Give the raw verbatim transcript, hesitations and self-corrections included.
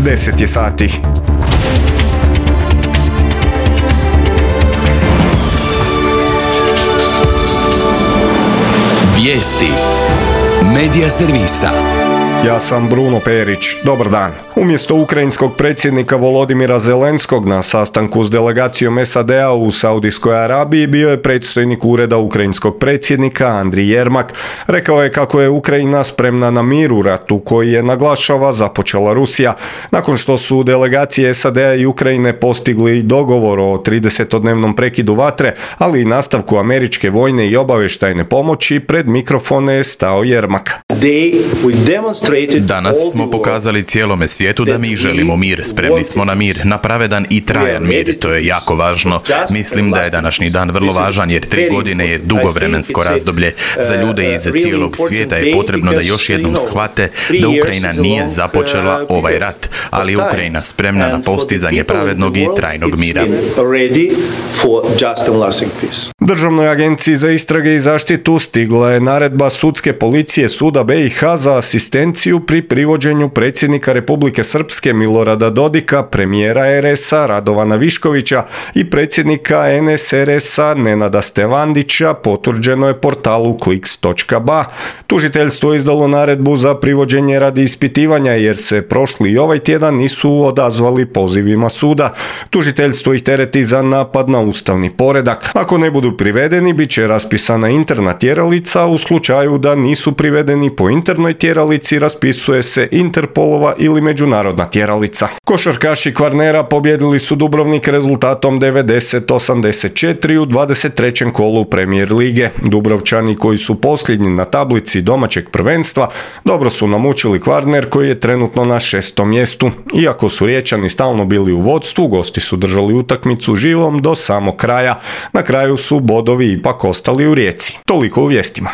deset je sati. Vijesti Medija servisa. Ja sam Bruno Perić. Dobar dan. Umjesto ukrajinskog predsjednika Volodimira Zelenskog na sastanku s delegacijom S A D-a u Saudijskoj Arabiji bio je predstojnik ureda ukrajinskog predsjednika Andrij Jermak. Rekao je kako je Ukrajina spremna na mir u ratu koji je, naglašava, započela Rusija. Nakon što su delegacije S A D-a i Ukrajine postigli dogovor o tridesetodnevnom prekidu vatre, ali i nastavku američke vojne i obavještajne pomoći, pred mikrofone je stao Jermak. Danas smo pokazali cijelome svijetu da mi želimo mir, spremni smo na mir, na pravedan i trajan mir, to je jako važno. Mislim da je današnji dan vrlo važan jer tri godine je dugo vremensko razdoblje. Za ljude iz cijelog svijeta je potrebno da još jednom shvate da Ukrajina nije započela ovaj rat, ali je Ukrajina spremna na postizanje pravednog i trajnog mira. Državnoj agenciji za istrage i zaštitu stigla je naredba sudske policije Suda B i H za asistenciju pri privođenju predsjednika Republike Srpske Milorada Dodika, premijera R S-a Radovana Viškovića i predsjednika N S R S-a Nenada Stevandića, potvrđeno je portalu kliks točka ba. Tužiteljstvo je izdalo naredbu za privođenje radi ispitivanja jer se prošli i ovaj tjedan nisu odazvali pozivima suda. Tužiteljstvo ih tereti za napad na ustavni poredak. Ako ne budu privedeni, bit će raspisana interna tjeralica, u slučaju da nisu privedeni po internoj tjeralici raspisuje se Interpolova ili međunarodna tjeralica. Košarkaši Kvarnera pobjedili su Dubrovnik rezultatom devedeset osamdeset četiri u dvadeset trećem kolu Premier lige. Dubrovčani, koji su posljednji na tablici domaćeg prvenstva, dobro su namučili Kvarner koji je trenutno na šestom mjestu. Iako su Riječani stalno bili u vodstvu, gosti su držali utakmicu živom do samog kraja. Na kraju su bodovi ipak ostali u Rijeci. Toliko u vijestima.